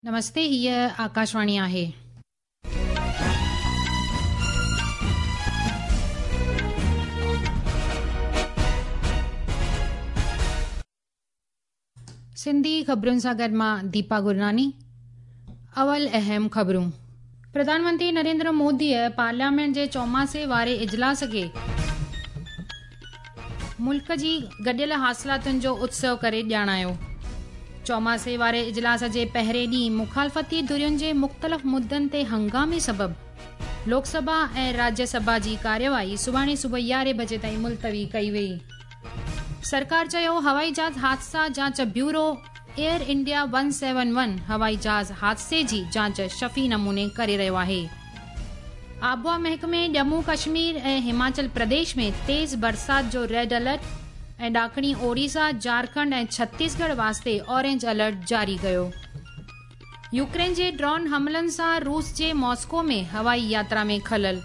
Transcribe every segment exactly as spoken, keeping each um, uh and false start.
नमस्ते, हीअ आकाशवाणी आहे। सिंधी ख़बरुनि सां गॾु मां दीपा गुरनानी। अवल अहम ख़बरूं। प्रधानमंत्री नरेंद्र मोदीअ पार्लियामेंट जे चौमासे वारे इजलास खे मुल्क जी गॾियल हासिलातुनि जो उत्सव करे ॼाणायो। चौमासे वारे इजलास जे पहिरें ॾींहुं मुखालफ़ती धुरियुनि जे मुख़्तलिफ़ मुद्दनि ते हंगामे सबबु लोकसभा ऐं राज्यसभा जी कार्यवाही सुभाणे सुबुह यारहें बजे ताईं मुलतवी कई वई। सरकार चयो हवाई जहाज़ हादसा जांच bureau Air India one seven one हवाई जहाज़ हादसे जी जांच शफ़ी नमूने करे रहियो आहे। आबहावा महकमे जम्मू कश्मीर ऐं हिमाचल प्रदेश में तेज़ बरसात जो रेड अलर्ट ऐं ॾाखणी ओडिशा, झारखंड ऐं छत्तीसगढ़ वास्ते ऑरेंज अलर्ट जारी कयो। यूक्रेन जे ड्रोन हमलनि सां रूस जे मॉस्को में हवाई यात्रा में ख़लल,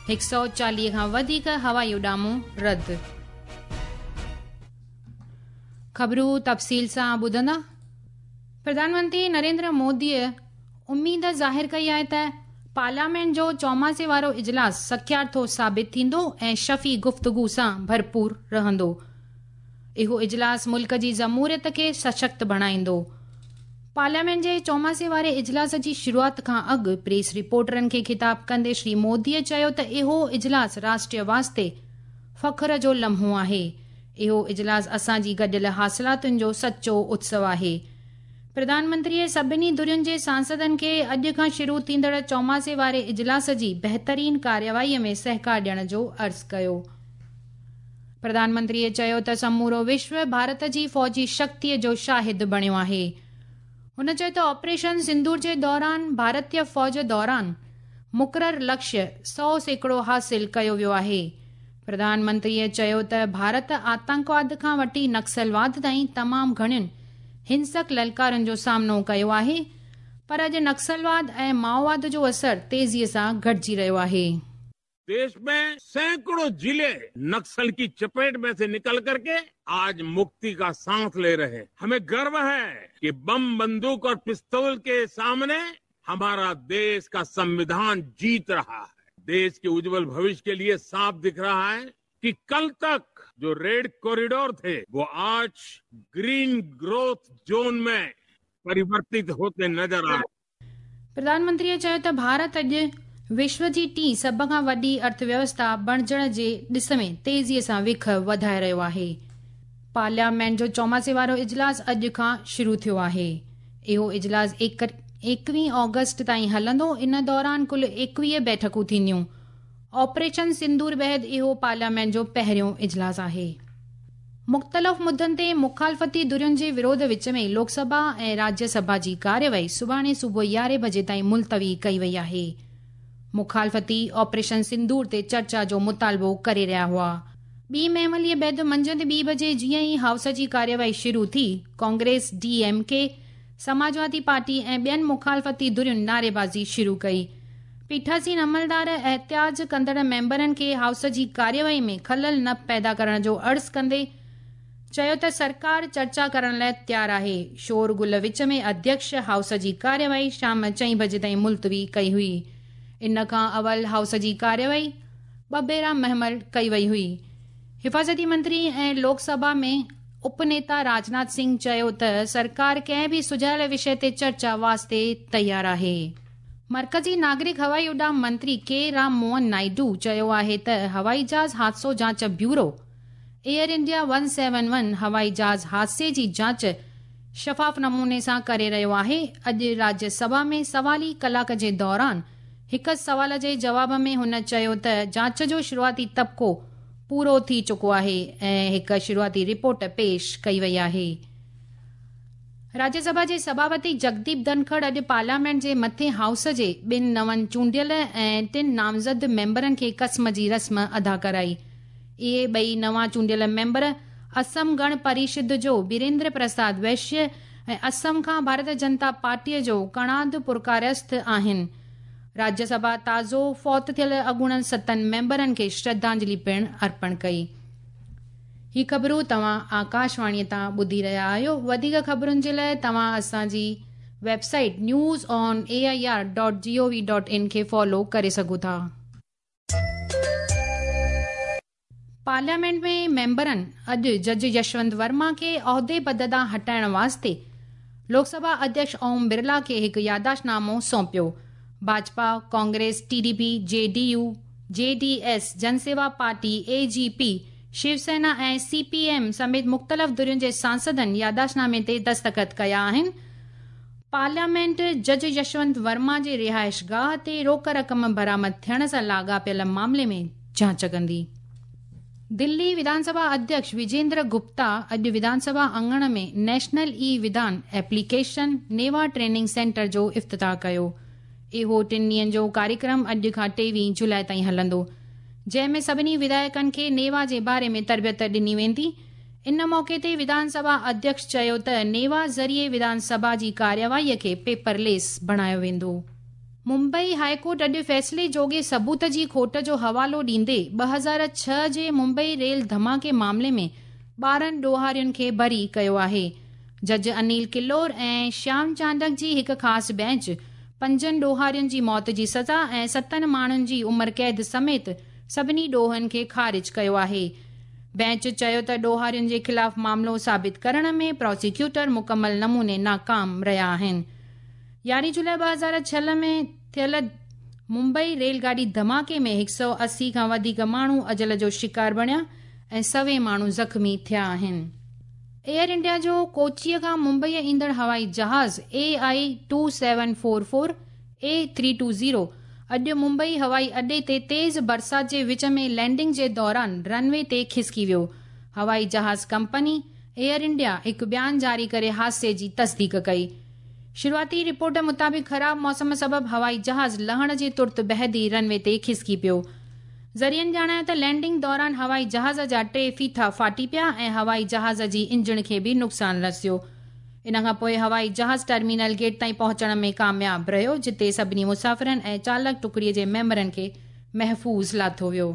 हिकु सौ चालीह खां वधीक हवाई उॾामूं रद्द। ख़बरूं तफ़सील सां ॿुधंदा। प्रधानमंत्री नरेंद्र मोदीअ उम्मीद ज़ाहिर कई आहे त पार्लियामेंट जो चौमासे वारो इजलास सख्यार्थो साबित थींदो ऐं शफ़ी गुफ़्तगू सां भरपूर रहंदो। इहो इजलास मुल्क जी जमहूरियत खे सशक्त बणाईंदो। पार्लियामेंट जे चौमासे वारे इजलास जी शुरूआत खां अॻु प्रेस रिपोर्टरनि खे ख़िताब कंदे श्री मोदीअ चयो त इहो इजलास राष्ट्रीय वास्ते फ़ख्र जो लम्हो आहे। इहो इजलास असांजी गॾियल हासिलातुनि जो सचो उत्सव आहे। प्रधानमंत्रीअ सभिनी धुरियुनि जे सांसदनि खे अॼु खां शुरू थींदड़ चौमासे वारे इजलास जी बहितरीन कार्यवाहीअ में सहकार ॾियण जो अर्ज़ु कयो। प्रधानमंत्रीअ चयो त समूरो विश्व भारत जी फ़ौजी शक्तिअ जो शाहिद बणियो आहे। हुन चयो त ऑपरेशन सिंदूर जे दौरान भारतीय फ़ौज दौरान मुक़ररु लक्ष्य सौ सैकड़ो हासिल कयो वियो आहे। प्रधानमंत्रीअ चयो त भारत आतंकवाद खां वठी नक्सलवाद ताईं तमामु घणियुनि हिंसक ललकारनि जो सामनो कयो आहे, पर अॼु नक्सलवाद ऐं माओवाद जो असर तेज़ीअ सां घटिजी रहियो आहे। देश में सैकड़ों जिले नक्सल की चपेट में से निकल करके आज मुक्ति का सांस ले रहे हैं। हमें गर्व है कि बम, बंदूक और पिस्तौल के सामने हमारा देश का संविधान जीत रहा है। देश के उज्जवल भविष्य के लिए साफ दिख रहा है कि कल तक जो रेड कॉरिडोर थे वो आज ग्रीन ग्रोथ जोन में परिवर्तित होते नजर आ रहे। प्रधानमंत्रीअ चयो त भारत अॼु विश्व जी टीं सभ खां वॾी अर्थव्यवस्था बणिजण जे ॾिस में तेज़ीअ सां विख वधाए रहियो आहे। पार्लियामेंट जो चौमासे वारो इजलास अॼु खां शुरू थियो आहे। इहो इजलास एकवीह ऑगस्ट ताईं हलंदो। इन दौरान कुल एकवीह बैठकूं थींदियूं। ऑपरेशन सिंदूर बाद इहो पार्लियामेंट जो पहिरियों इजलास आहे। मुख़्तलिफ़ मुद्दनि ते मुखालफ़ती धुरियुनि जे विरोध विच में लोकसभा ऐं राज्यसभा जी कार्यवाही सुभाणे सुबुह यारहें बजे ताईं मुलतवी कई वई आहे। मुखालफ़ती ऑपरेशन सिंदूर ते चर्चा जो मुतालबो करे रहिया हुआ। ॿी महमलीअ बाद मंझंदि ॿी बजे जीअं ई हाउस जी कार्यवाही शुरू थी, Congress, D M K, Samajwadi party ऐं ॿियनि मुखालफ़ती धुरियुनि नारेबाज़ी शुरू कई। पीठासीन अमलदार एहतियाज कंदड़ मेंबरनि खे हाउस जी कार्यवाही में ख़लल न पैदा करण जो अर्ज़ु कंदे चयो त सरकार चर्चा करण लाइ तयारु आहे। शोर गुल विच में अध्यक्ष हाउस जी कार्यवाही शाम चईं बजे ताईं मुलतवी कई हुई। इन खां अवल हाउस जी कार्यवाही ॿ भेरा महमल कई वई हुई। हिफाज़ती मंत्री ऐं लोकसभा में उपनेता राजनाथ सिंह चयो त सरकार कंहिं बि सुझायल विषय ते चर्चा वास्ते तयारु आहे। मर्कज़ी नागरिक हवाई उॾाम मंत्री के राम मोहन नायडू चयो आहे त हवाई जहाज़ हादसो जांच bureau Air India one seven one हवाई जहाज़ हादसे जी जांच शफ़ाफ़ नमूने सां करे रहियो आहे। अॼु राज्यसभा में सवाली कलाक जे दौरान हिकु सवाल जे जवाब में हुन चयो त जांच जो शुरूआती तबिको पूरो थी चुको आहे ऐं हिकु शुरूआती रिपोर्ट पेश कई वई आहे। राज्यसभा जे सभापति जगदीप धनखड़ अॼु पार्लियामेंट जे मथे हाउस जे ॿिनि नवनि चूंडियल ऐं टिनि नामज़द मेंबरनि खे क़स्म जी रस्म अदा कराई। इहे ॿई नवां चूंडियल मेंबर असम गण परिषद जो बीरेंद्र प्रसाद वैश्य ऐं असम खां भारतीय जनता पार्टीअ जो कणाद पुरकारस्थ आहिनि। राज्यसभा ताज़ो फौत थियल अॻूणनि सतनि मेंबरनि खे श्रद्धांजलि पिणु अर्पण कई। ही ख़बरूं तव्हां आकाशवाणीअ तां ॿुधी रहिया आहियो। वधीक ख़बरुनि जे लाइ तव्हां असांजी website news on A I R dot G O V dot in کي فالو ڪري سگهو ٿا. پارليامينٽ ۾ ميمبرن اڄ جج يشونت ورما کي عهدي پد تان هٽائڻ واسطي لوڪ سڀا اڌيڪش اوم برلا کي هڪ ياداشتنامو سونپيو. Bhajpa, Congress, T D P, J D U, J D S, Janaseva party, A G P, Shiv Sena ۽ C P M سميت مختلف ڌرين جي سانسدن ياداشتنامي تي دستخط ڪيا آهن. پارليامينٽ جج يشونت ورما جي رهائش گاهه تي روڪ رقم برآمد ٿيڻ سان لاڳاپيل معاملي ۾ جاچ ڪندي. دلي وڌانسڀا اڌيڪش وجيندر گپتا اڄ وڌانسڀا اڱڻ ۾ national e Vidhan application NeVA training centre جو افتتاح ڪيو. اهو ٽن ڏينهن جو ڪاريڪرم اڄ کان ٽيويهه جولاءِ تائين هلندو، جنهن ۾ سڀني وڌايڪن کي نيوا جي باري ۾ تربيت ڏني ويندي. ان موقعي تي وڌانسڀا اڌيڪش چيو ته نيوا ذريعي وڌانسڀا جي ڪارروائيءَ کي پيپرليس بڻايو ويندو. ممبئي هاءِ ڪورٽ اڄ فيصلي جوڳي ثبوت جي کوٽ جو حوالو ڏيندي ٻه هزار ڇهه جي ممبئي ريل ڌماڪي معاملي ۾ ٻارهن ڏوهارين کي بري ڪيو آهي. جج انيل ڪلور ۽ شيام چانڊڪ جي هڪ خاص بينچ پنجن ڏوهارين جي موت جي سزا ۽ ستن ماڻهن جي عمر قيد سميت سڀني ڏوهن کي خارج ڪيو آهي. بينچ چيو ته ڏوهارين جي خلاف معاملو ثابت ڪرڻ ۾ پراسيڪيوٽر مڪمل نموني ناڪام رهيا آهن. يارهين جولاءِ ٻه هزار ڇهه ۾ ٿيل ممبئي ريل گاڏي ڌماڪي ۾ هڪ سؤ اسي کان وڌيڪ ماڻهو اجل جو شڪار بڻيا ۽ سوين ماڻهو زخمي ٿيا آهن. ايئر انڊيا جو ڪوچيءَ کان ممبئي ايندڙ هوائي جهاز A I two seven four four A three two zero اڄ ممبئي هوائي اڏي تي تيز برسات جي وچ ۾ لينڊنگ جي دوران رن وي تي کسڪي ويو. هوائي جهاز ڪمپني ايئر انڊيا هڪ بيان جاري ڪري حادثي جي تصديق ڪئي. شروعاتي رپورٽ مطابق خراب موسم سبب هوائي جهاز لهڻ جي ترت بعد ئي رن وي تي کسڪي پيو. ذريعن ڄاڻايو ته لينڊنگ دوران هوائي جهاز جا ٽي ڦيٿا ڦاٽي پيا ۽ هوائي جهاز جي انجڻ کي به نقصان رسيو. ان کان پوءِ هوائي جهاز ٽرمينل گيٽ تائين پهچڻ ۾ ڪامياب رهيو، جتي سڀني مسافرن ۽ چالڪ ٽڪڙي جي ميمبرن کي محفوظ لاٿو ويو.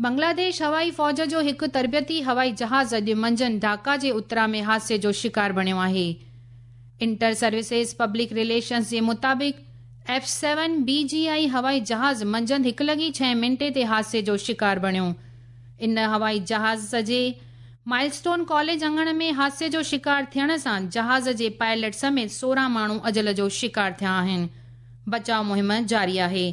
بنگلاديش هوائي فوج جو هڪ تربيتي هوائي جهاز اڄ منجهند ڍاڪا جي اترا ۾ حادثي جو شڪار بڻيو آهي. انٽر سروسز پبلڪ رليشنز جي مطابق F seven B G I هوائي جهاز منجهند هڪ لڳي ڇهه منٽي تي حادثي جو شڪار بڻيو. ان هوائي جهاز جي مائلسٽون ڪاليج اڱڻ ۾ حادثي جو شڪار ٿيڻ سان جهاز جي پائلٽ سميت سورهن ماڻهو اجل جو شڪار ٿيا آهن. بچاءُ مهم جاري آهي.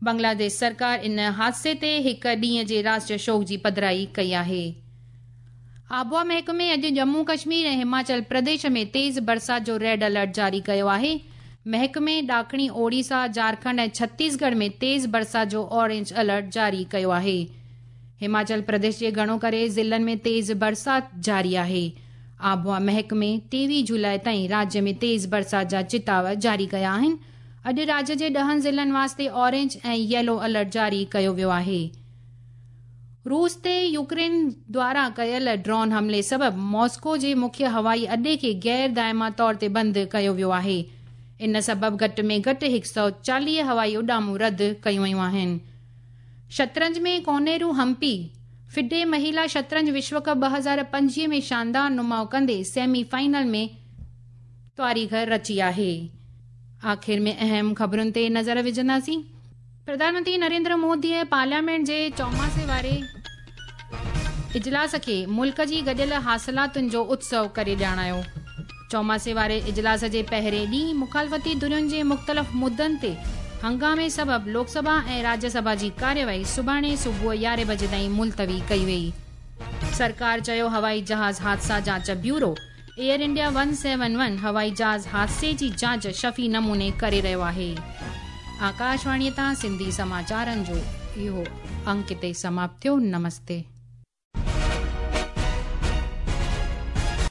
بنگلاديش سرڪار ان حادثي تي هڪ ڏينهن جي راشٽريه شوڪ جي پڌرائي ڪئي آهي. آبهوا محڪمي اڄ ڄمون ڪشمير ۽ هماچل پرديش ۾ تيز برسات جو ريڊ الرٽ جاري ڪيو آهي. محڪمي ڏاکڻي اوڙيسا، جهارکنڊ ۽ ڇتيسڳڙهه ۾ تيز برسات جو اورينج الرٽ جاري ڪيو آهي. هماچل پرديش جي گهڻو ڪري ضلعن ۾ تيز برسات جاري آهي. آبهوا محڪمي ٽيويهه جولاءِ تائين راجيه ۾ تيز برسات جا چتاءُ جاري ڪيا آهن. اڄ راجيه جي ڏهن ضلعن واسطي اورينج ۽ ييلو الرٽ جاري ڪيو ويو آهي. روس تي يوڪرين دواران ڪيل ڊرون حملي سبب ماسڪو جي مکيه هوائي اڏي کي غير دائما طور تي بند ڪيو ويو آهي. ان سبب گهٽ ۾ گهٽ هڪ سؤ چاليهه هوائي اڏامون رد ڪيون ويون آهن. شطرنج ۾ ڪونيرو همپي فڊي مهلا شطرنج وشو ڪپ ٻه هزار پنجويهه ۾ شاندار نماءُ ڪندي سيمي فائنل ۾ تاريخ رچي آهي. آخر ۾ اهم خبرن تي نظر وجهنداسين. پرڌان منتري نريندر موديءَ پارليامينٽ جي چوماسي واري اجلاس کي ملڪ جي گڏيل حاصلاتن جو اتسو ڪري ڄاڻايو. چوماسي واري اجلاس جي پهرين ڏينهن مخالفتي ڌرين جي مختلف مدن تي هنگامي سبب لوڪ سڀا ۽ راجيه سڀا جي ڪارروائي سڀاڻي صبح يارهين بجي تائين ملتوي ڪئي وئي. سرڪار چيو هوائي جهاز حادثا جاچ bureau Air India one seven one هوائي جهاز حادثي جي جاچ شفي نموني ڪري رهيو آهي. آڪاشواڻيءَ تان سنڌي سماچارن جو اهو انڪ هتي سماپت ٿيو. نمستي.